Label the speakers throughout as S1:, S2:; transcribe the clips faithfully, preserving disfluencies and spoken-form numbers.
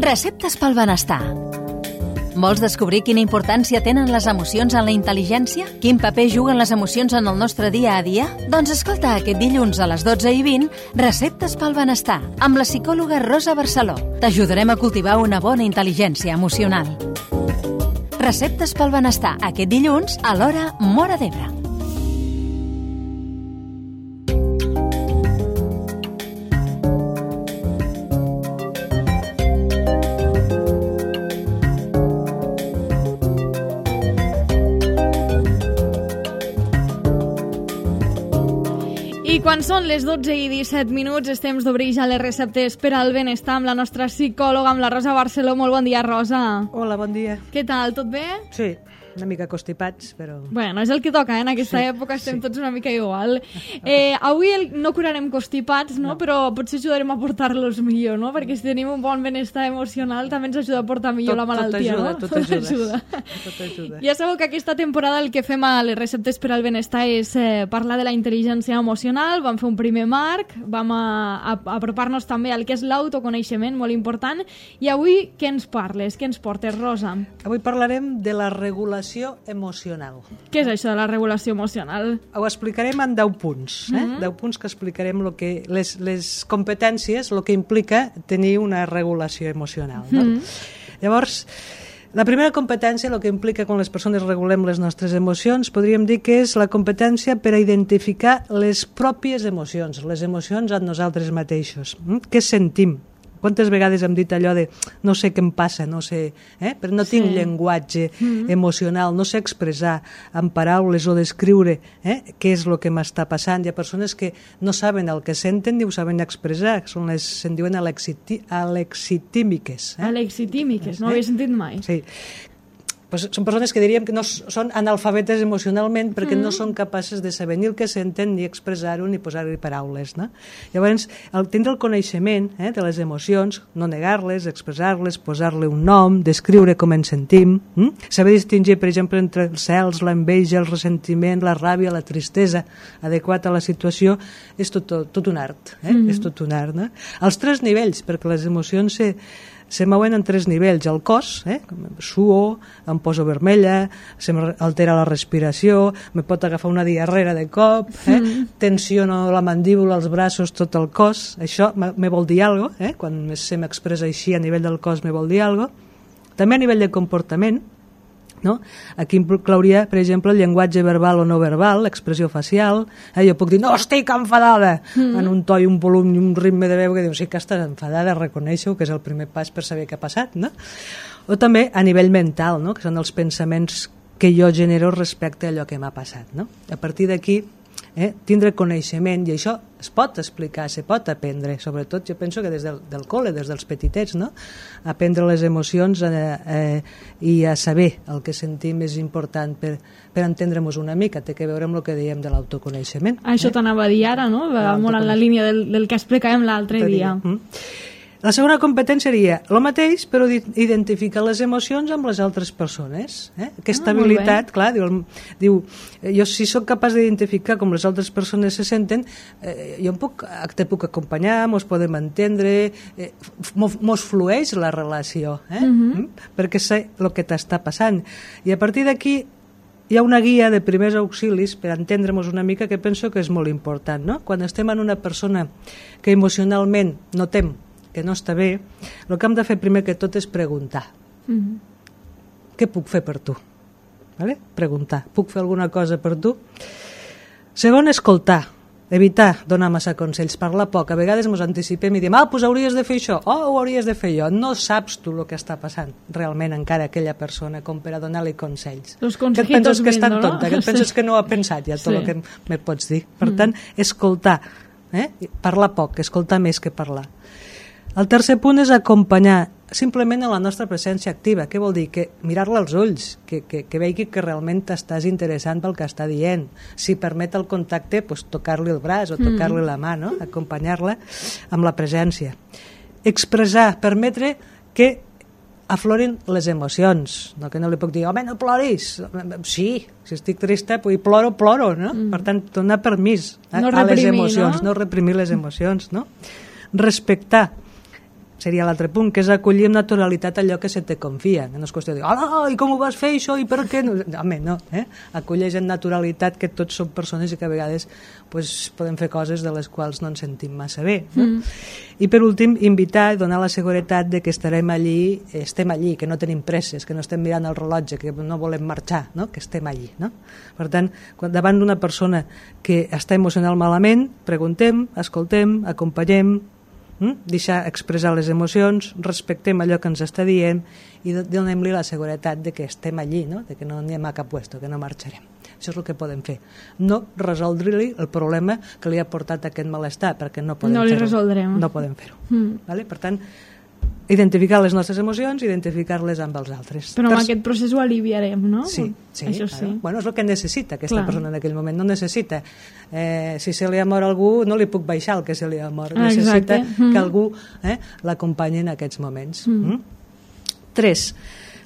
S1: Receptes pel benestar. Vols descobrir quina importància tenen les emocions en la intel·ligència? Quin paper juguen les emocions en el nostre dia a dia? Doncs escolta aquest dilluns a les dotze i vint Receptes pel benestar amb la psicòloga Rosa Barceló. T'ajudarem a cultivar una bona intel·ligència emocional. Receptes pel benestar aquest dilluns a l'hora Móra d'Ebre.
S2: I quan són les dotze i disset minuts, és temps d'obrir ja les receptes per al benestar amb la nostra psicòloga, amb la Rosa Barceló. Molt bon dia, Rosa.
S3: Hola, bon dia.
S2: Què tal, tot bé?
S3: Sí, una mica constipats, però...
S2: Bueno, és el que toca, eh? En aquesta sí, època estem sí. tots una mica igual. Eh, avui el, no curarem constipats, no? no? Però potser ajudarem a portar-los millor, no? Perquè si tenim un bon benestar emocional també ens ajuda a portar millor tot, la malaltia,
S3: tot ajuda,
S2: no?
S3: Tot ajuda, tot ajuda.
S2: Tot ajuda. Ja sabeu que aquesta temporada el que fem a les receptes per al benestar és eh, parlar de la intel·ligència emocional. Vam fer un primer marc, vam a, a, a apropar-nos també al que és l'autoconeixement, molt important. I avui què ens parles? Què ens portes, Rosa?
S3: Avui parlarem de la regulació emocional.
S2: Què és això de la regulació emocional?
S3: Ho explicarem en deu punts, eh? Mm-hmm. deu punts que explicarem lo que, les, les competències, el que implica tenir una regulació emocional. No? Mm-hmm. Llavors, la primera competència, el que implica quan les persones regulem les nostres emocions, podríem dir que és la competència per a identificar les pròpies emocions, les emocions en nosaltres mateixos. Mm? Què sentim? Quantes vegades hem dit allò de no sé què em passa, no sé, eh? però no tinc sí. llenguatge mm-hmm. emocional, no sé expressar en paraules o descriure eh? què és el que m'està passant. Hi ha persones que no saben el que senten ni ho saben expressar, són les, se'n diuen alexiti, alexitímiques. Eh?
S2: Alexitímiques, no ho havia sentit mai.
S3: Sí. Pues són persones que diríem que no són analfabetes emocionalment perquè mm. no són capaces de saber ni el que senten, ni expressar-ho, ni posar-hi paraules. No? Llavors, el tindre el coneixement eh, de les emocions, no negar-les, expressar-les, posar-li un nom, descriure com ens sentim, hm? saber distingir, per exemple, entre els cels, l'enveja, el ressentiment, la ràbia, la tristesa, adequat a la situació, és tot, tot, tot un art. Eh? Mm. És tot un art. No? Els tres nivells, perquè les emocions se... se mouen en tres nivells. El cos, eh? suo, em poso vermella, se m'altera la respiració, me pot agafar una diarrera de cop, eh? mm. tensiono la mandíbula, els braços, tot el cos. Això me vol dir alguna cosa, eh? quan se m'expressa així a nivell del cos me vol dir alguna cosa. També a nivell de comportament, no? Aquí inclouria, per exemple, el llenguatge verbal o no verbal, l'expressió facial. Eh? Jo puc dir, no estic enfadada, mm. en un to i un volum i un ritme de veu que diu, sí que estàs enfadada, reconeixo que és el primer pas per saber què ha passat. No? O també a nivell mental, no? que són els pensaments que jo genero respecte a allò que m'ha passat. No? A partir d'aquí, eh, tindre coneixement, i això es pot explicar, se pot aprendre, sobretot jo penso que des del, del col·le, des dels petitets, no? aprendre les emocions eh, eh, i a saber el que sentim és important per, per entendre-nos una mica, té que veure amb el que dèiem de l'autoconeixement.
S2: Això eh? t'anava a dir ara, no? Va molt en la línia del, del que explicàvem l'altre dia.
S3: Mm. La segona competència seria el mateix, però identificar les emocions amb les altres persones. Eh? Aquesta ah, habilitat, clar, diu, diu, jo si sóc capaç d'identificar com les altres persones se senten, eh, jo em puc, te puc acompanyar, mos podem entendre, eh, mos flueix la relació, eh? mm-hmm. perquè sé el que t'està passant. I a partir d'aquí hi ha una guia de primers auxilis per entendre-nos una mica que penso que és molt important. No? Quan estem en una persona que emocionalment notem que no està bé, el que hem de fer primer que tot és preguntar. Mm-hmm. Què puc fer per tu? Vale? Preguntar. Puc fer alguna cosa per tu? Segon, escoltar. Evitar donar massa consells, parlar poc. A vegades ens anticipem i diem, ah, doncs hauries de fer això, o oh, ho hauries de fer jo. No saps tu el que està passant realment encara aquella persona com per a donar-li consells.
S2: Los
S3: que et penses que és tan tonta, no? que et penses sí. que no ho ha pensat ja tot sí. el que me pots dir. Per mm. tant, escoltar. Eh? Parlar poc, escoltar més que parlar. El tercer punt és acompanyar simplement a la nostra presència activa. Què vol dir? Que mirar-la als ulls, que, que, que vegi que realment t'estàs interessant pel que està dient. Si permet el contacte, pues, tocar-li el braç o tocar-li la mà, no? Acompanyar-la amb la presència. Expressar, permetre que aflorin les emocions, no? Que no li puc dir, home, no ploris. Sí, si estic trista, pues, ploro, ploro, no? Mm. Per tant, donar permís a, no reprimir, a les emocions, no? no reprimir les emocions, no? Respectar. seria l'altre punt, que és acollir amb naturalitat allò que se te confia, que no és qüestió de dir, hola, i com ho vas fer això, i per què? No, home, no, eh? Acolleix amb naturalitat que tots som persones i que a vegades pues, podem fer coses de les quals no ens sentim massa bé. No? Mm. I per últim, invitar i donar la seguretat de que estarem allí, estem allí, que no tenim presses, que no estem mirant el rellotge, que no volem marxar, no? Que estem allí. No? Per tant, quan davant d'una persona que està emocional malament, preguntem, escoltem, acompanyem, Mm? deixar expressar les emocions, respectem allò que ens està dient i donem-li la seguretat de que estem allí, no? De que no anem a cap puesto, que no marxarem. Això és el que podem fer. No resoldre-li el problema que li ha portat aquest malestar, perquè no podem
S2: no li
S3: fer-ho.
S2: resoldrem.
S3: No podem fer-ho.
S2: Mm.
S3: Vale? Per tant, identificar les nostres emocions, identificar-les amb els altres.
S2: Però amb
S3: per...
S2: aquest procés ho aliviarem, no?
S3: Sí, sí,
S2: Això
S3: claro.
S2: sí.
S3: Bueno, és el que necessita aquesta
S2: Clar.
S3: persona en aquell moment. No necessita, eh, si se li ha mort algú, no li puc baixar el que se li ha mort.
S2: Ah,
S3: necessita
S2: mm.
S3: que algú eh, l'acompanyi en aquests moments.
S2: Mm.
S3: Mm? Tres,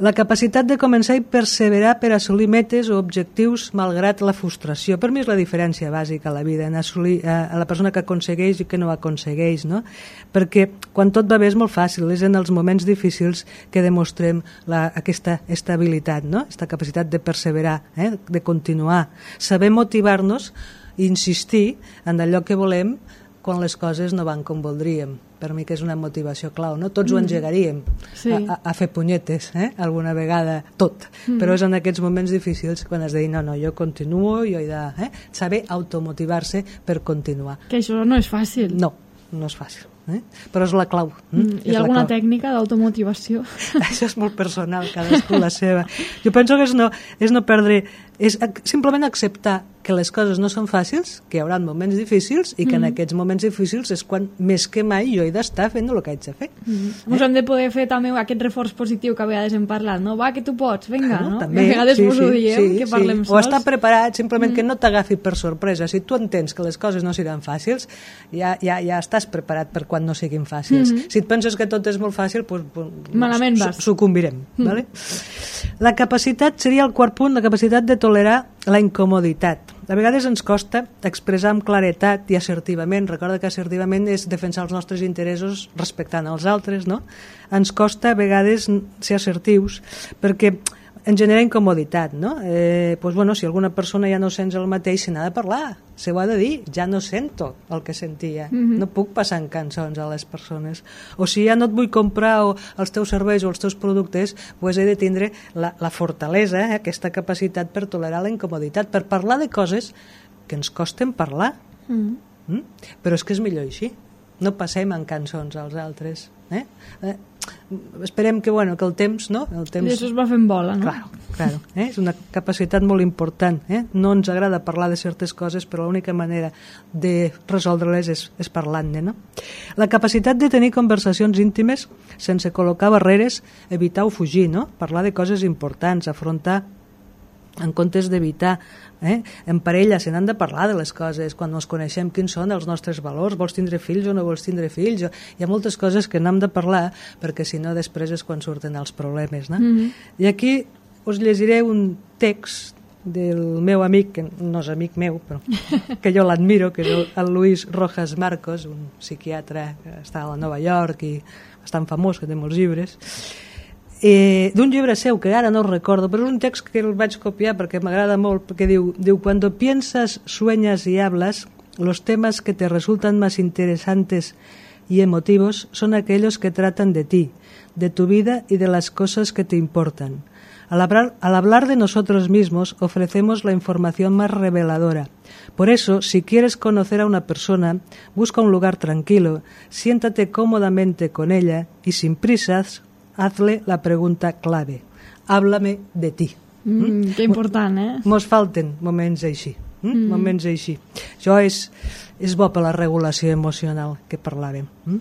S3: la capacitat de començar i perseverar per assolir metes o objectius malgrat la frustració. Per mi és la diferència bàsica a la vida, en assolir eh, a la persona que aconsegueix i que no aconsegueix, no? Perquè quan tot va bé és molt fàcil, és en els moments difícils que demostrem la, aquesta estabilitat, no? Aquesta capacitat de perseverar, eh? De continuar, saber motivar-nos i insistir en allò que volem quan les coses no van com voldríem. Per mi que és una motivació clau, no? Tots mm. ho engegaríem
S2: sí.
S3: a, a, a fer punyetes, eh? Alguna vegada, tot. Mm. Però és en aquests moments difícils quan has de dir, no, no, jo continuo, jo he de eh? saber automotivar-se per continuar.
S2: Que això no és fàcil.
S3: No, no és fàcil. Eh? Però és la clau.
S2: Mm. Hi ha alguna tècnica d'automotivació?
S3: Això és molt personal, cadascú la seva. Jo penso que és no, és no perdre, és simplement acceptar que les coses no són fàcils, que hi haurà moments difícils i que mm. en aquests moments difícils és quan més que mai jo he d'estar fent el que haig de fer.
S2: Mm. Eh? Ens hem de poder fer també aquest reforç positiu que a vegades hem parlat, no? Va, que tu pots, vinga,
S3: claro,
S2: no?
S3: També,
S2: a vegades
S3: sí,
S2: vos
S3: sí,
S2: ho diem,
S3: sí,
S2: que parlem
S3: sí.
S2: sols.
S3: O estar preparat, simplement
S2: mm.
S3: que no t'agafi per sorpresa. Si tu entens que les coses no seran fàcils, ja, ja, ja estàs preparat per quan no siguin fàcils. Mm -hmm. Si et penses que tot és molt fàcil, pues, pues,
S2: malament vas.
S3: Sucumbirem. Mm. Vale? La capacitat, seria el quart punt, la capacitat de tolerar la incomoditat. A vegades ens costa expressar amb claretat i assertivament. Recorda que assertivament és defensar els nostres interessos respectant els altres, no? Ens costa a vegades ser assertius perquè ens genera incomoditat, no? Eh, pues bueno, si alguna persona ja no sents el mateix, se n'ha de parlar, se ho ha de dir, ja no sento el que sentia, mm-hmm. no puc passar en cançons a les persones. O si ja no et vull comprar o els teus serveis o els teus productes, pues he de tindre la, la fortalesa, eh, aquesta capacitat per tolerar la incomoditat, per parlar de coses que ens costen parlar. Mm. Mm? Però és que és millor així. No passem en cançons als altres. Eh? Eh, esperem que, bueno, que el temps, no? El temps...
S2: I això es va fent bola, no?
S3: Claro, claro, eh? És una capacitat molt important. Eh? No ens agrada parlar de certes coses, però l'única manera de resoldre-les és, és parlant-ne, no? La capacitat de tenir conversacions íntimes sense col·locar barreres, evitar o fugir, no? Parlar de coses importants, afrontar en comptes d'evitar. Eh? En parella se n'han de parlar de les coses, quan ens coneixem quins són els nostres valors, vols tindre fills o no vols tindre fills, hi ha moltes coses que n'hem de parlar perquè si no després és quan surten els problemes, no? Mm-hmm. I aquí us llegiré un text del meu amic, que no és amic meu però que jo l'admiro, que és el, el Luis Rojas Marcos, un psiquiatre que està a Nova York i bastant famós, que té molts llibres. Eh, d'un llibre seu que ara no recordo, però és un text que el vaig copiar perquè m'agrada molt, perquè diu, diu cuando piensas, sueñas y hablas, los temas que te resultan más interesantes y emotivos son aquellos que tratan de ti, de tu vida y de las cosas que te importan. Al hablar, al hablar de nosotros mismos ofrecemos la información más reveladora. Por eso, si quieres conocer a una persona, busca un lugar tranquilo, siéntate cómodamente con ella y sin prisas hazle la pregunta clave. Háblame de ti.
S2: Mm, mm? Que important, eh?
S3: Mos falten moments així. Mm? Mm. Moments així. Això és, és bo per la regulació emocional que parlàvem. Mm?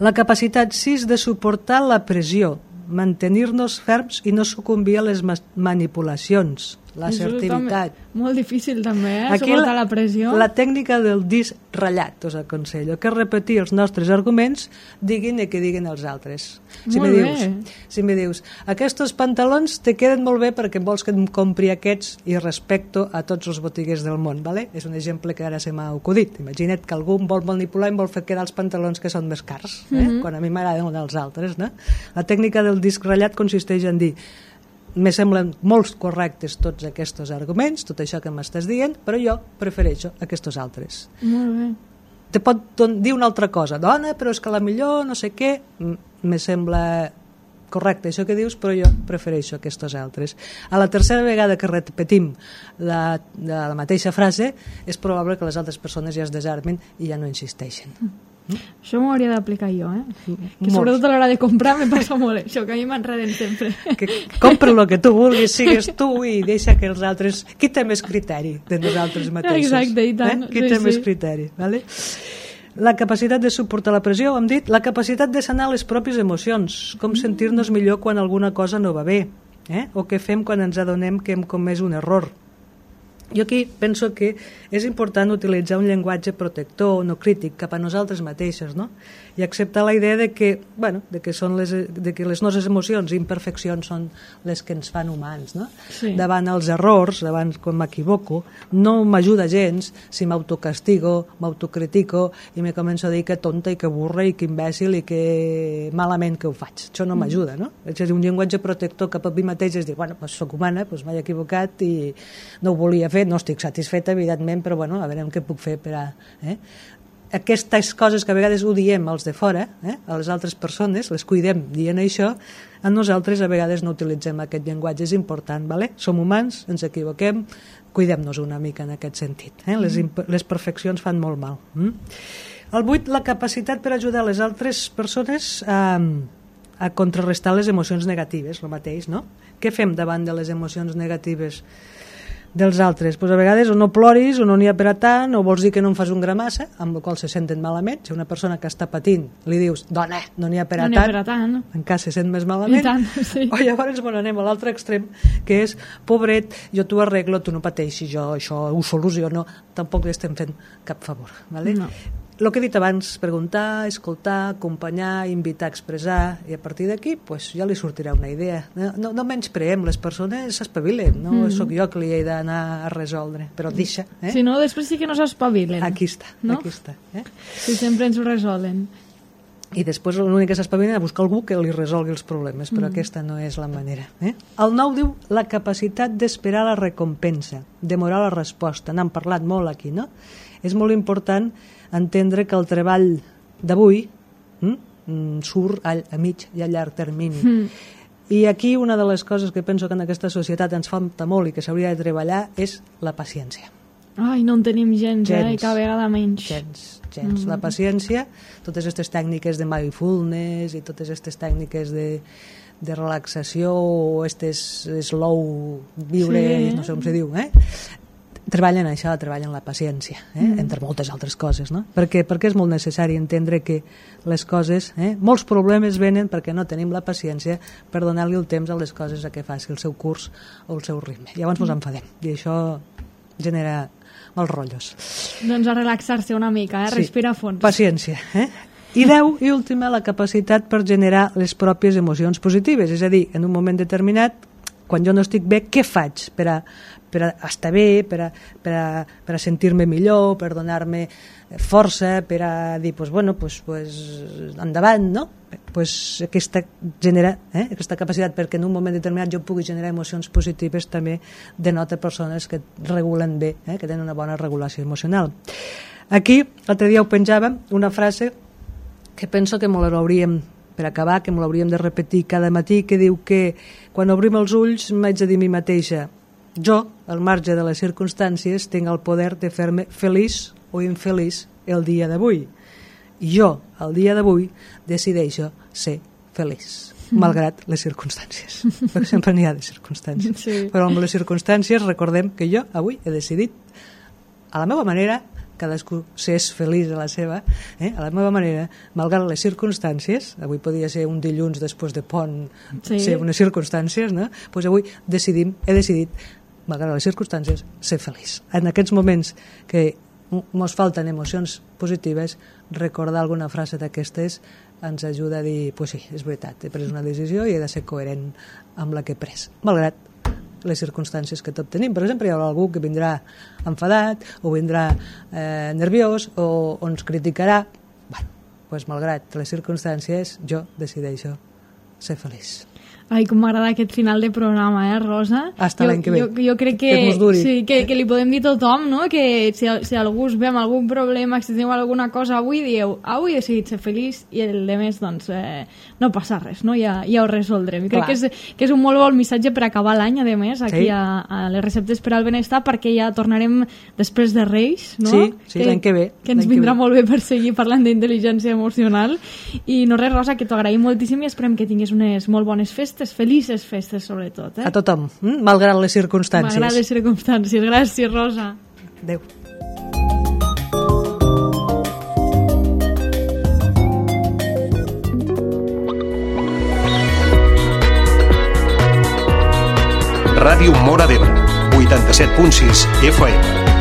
S3: La capacitat sis de suportar la pressió, mantenir-nos ferms i no sucumbir a les manipulacions. l'assertivitat.
S2: Molt difícil també, eh?
S3: Aquí
S2: suportar
S3: la,
S2: la pressió.
S3: La tècnica del disc ratllat, us aconsello, que és repetir els nostres arguments, diguin el que diguin els altres. Si
S2: molt
S3: me
S2: bé.
S3: dius, si me dius, aquests pantalons te queden molt bé perquè vols que em compri aquests i respecto a tots els botiguers del món, ¿vale? És un exemple que ara se m'ha acudit. Imagina't que algú em vol manipular i em vol fer quedar els pantalons que són més cars, eh? Mm-hmm. Quan a mi m'agraden els altres, no? La tècnica del disc ratllat consisteix en dir: me semblen molt correctes tots aquests arguments, tot això que m'estàs dient, però jo prefereixo aquests altres.
S2: Molt bé.
S3: Te pot dir una altra cosa, dona, però és que la millor, no sé què, me sembla correcte això que dius, però jo prefereixo aquests altres. A la tercera vegada que repetim la, la, la mateixa frase, és probable que les altres persones ja es desarmen i ja no insisteixen. Mm.
S2: Això m'ho hauria d'aplicar jo, eh? Que sobretot a l'hora de comprar me passa molt això, que a mi m'enreden sempre.
S3: Que compra el que tu vulguis, sigues tu i deixa que els altres... Qui té més criteri de nosaltres mateixos?
S2: Exacte, i tant.
S3: Eh? Qui
S2: sí,
S3: té
S2: sí.
S3: més criteri, vale? La capacitat de suportar la pressió, ho hem dit, la capacitat de sanar les pròpies emocions, com sentir-nos millor quan alguna cosa no va bé, eh? O què fem quan ens adonem que hem comès un error. Jo aquí penso que és important utilitzar un llenguatge protector, no crític, cap a nosaltres mateixos, no? I acceptar la idea de que, bueno, de que, són les, de que les nostres emocions i imperfeccions són les que ens fan humans, no?
S2: Sí.
S3: Davant els errors, davant quan m'equivoco, no m'ajuda gens si m'autocastigo, m'autocritico i me començo a dir que tonta i que burra i que imbècil i que malament que ho faig. Això no m'ajuda, no? És a dir, un llenguatge protector cap a mi mateix és dir, bueno, doncs soc humana, doncs m'he equivocat i no ho volia fer, no estic satisfeta, evidentment, però bueno, a veure què puc fer per a... Eh? Aquestes coses que a vegades ho diem als de fora, eh? A les altres persones, les cuidem dient això, a nosaltres a vegades no utilitzem aquest llenguatge, és important, ¿vale? Som humans, ens equivoquem, cuidem-nos una mica en aquest sentit, eh? Les, les perfeccions fan molt mal. Mm? El vuit, la capacitat per ajudar les altres persones a, a contrarrestar les emocions negatives, el mateix, no? Què fem davant de les emocions negatives dels altres? Pues a vegades o no ploris o no n'hi ha per a tant, o vols dir que no en fas un gramassa, amb el qual se senten malament. Si una persona que està patint li dius, dona, no n'hi ha per a
S2: no
S3: tant,
S2: per a tant,
S3: encara se sent més malament.
S2: I tant, sí.
S3: O llavors bueno, anem a l'altre extrem, que és, pobret, jo t'ho arreglo, tu no pateixis, jo això ho soluciono, tampoc li estem fent cap favor, ¿vale?
S2: No.
S3: El que he dit abans, preguntar, escoltar, acompanyar, invitar a expressar, i a partir d'aquí pues, ja li sortirà una idea. No, no, no menyspreem, les persones s'espavilen, no mm. sóc jo que li he d'anar a resoldre, però deixa. Eh?
S2: Si no, després sí que no s'espavilen.
S3: Aquí està,
S2: no?
S3: aquí està. Eh?
S2: Si sempre ens ho resolen.
S3: I després l'únic que s'espavilen és buscar algú que li resolgui els problemes, però mm. aquesta no és la manera. Eh? El nou diu la capacitat d'esperar la recompensa, demorar la resposta. N'hem parlat molt aquí, no? És molt important entendre que el treball d'avui mm, surt a, a mig i a llarg termini. Mm. I aquí una de les coses que penso que en aquesta societat ens falta molt i que s'hauria de treballar és la paciència.
S2: Ai, no en tenim gens, gens. eh? Cada vegada menys.
S3: Gens, gens. Mm. La paciència, totes aquestes tècniques de mindfulness i totes aquestes tècniques de, de relaxació o aquestes slow viure, sí. No sé com se diu, eh? Treballen això, treballen la paciència, eh? mm. entre moltes altres coses, no? Perquè, perquè és molt necessari entendre que les coses, eh? molts problemes venen perquè no tenim la paciència per donar-li el temps a les coses a què faci el seu curs o el seu ritme. Llavors ens enfadem i això genera mals rotllos.
S2: Doncs a relaxar-se una mica, eh?
S3: Sí.
S2: Respirar a fons.
S3: Paciència, eh? I deu, i última, la capacitat per generar les pròpies emocions positives, és a dir, en un moment determinat, quan jo no estic bé, què faig per a, per a estar bé, per a, per a, per a sentir-me millor, per donar-me força, per a dir, pues, bueno, pues, pues, endavant, no? Pues aquesta, genera, eh? aquesta capacitat perquè en un moment determinat jo pugui generar emocions positives també denota persones que regulen bé, eh? que tenen una bona regulació emocional. Aquí, l'altre dia ho penjàvem, una frase que penso que molt l'hauríem per acabar, que l'hauríem de repetir cada matí, que diu que quan obrim els ulls m'haig de dir a mi mateixa, jo, al marge de les circumstàncies, tinc el poder de fer-me feliç o infeliç el dia d'avui. I jo, el dia d'avui, decideixo ser feliç, malgrat les circumstàncies. Perquè sempre n'hi ha de circumstàncies.
S2: Sí.
S3: Però amb les circumstàncies recordem que jo avui he decidit, a la meva manera, cadascú s'és feliç a la seva, eh? a la meva manera, malgrat les circumstàncies, avui podia ser un dilluns després de pont, sí. ser unes circumstàncies, no? Pues avui decidim, he decidit malgrat les circumstàncies, ser feliç. En aquests moments que ens falten emocions positives, recordar alguna frase d'aquestes ens ajuda a dir, pues sí, és veritat, he pres una decisió i he de ser coherent amb la que he pres, malgrat les circumstàncies que tot tenim. Per exemple, hi haurà algú que vindrà enfadat o vindrà eh, nerviós o, o ens criticarà. Bueno, pues, malgrat les circumstàncies, jo decideixo ser feliç.
S2: Ai, com m'agrada aquest final de programa, eh, Rosa?
S3: Hasta l'any que ve.
S2: Jo, jo crec que,
S3: que,
S2: sí, que, que li podem dir a tothom, no? Que si, si algú us ve amb algun problema, si teniu alguna cosa avui, dieu, avui he decidit ser feliç i el de més, doncs, eh, no passa res, no? Ja, ja ho resoldrem. I crec que és, que és un molt bon missatge per acabar l'any, a més, aquí sí. a, a les receptes per al benestar, perquè ja tornarem després de Reis, no?
S3: Sí, sí, l'any que ve.
S2: Que ens vindrà molt bé per seguir parlant d'intel·ligència emocional. I no res, Rosa, que t'ho agraïm moltíssim i esperem que tinguis unes molt bones festes, felices festes sobretot. Eh?
S3: A tothom, hm? malgrat les circumstàncies.
S2: Malgrat les circumstàncies. Gràcies, Rosa.
S3: Adéu.
S4: Ràdio Móra d'Ebre, vuitanta-set punt sis F M.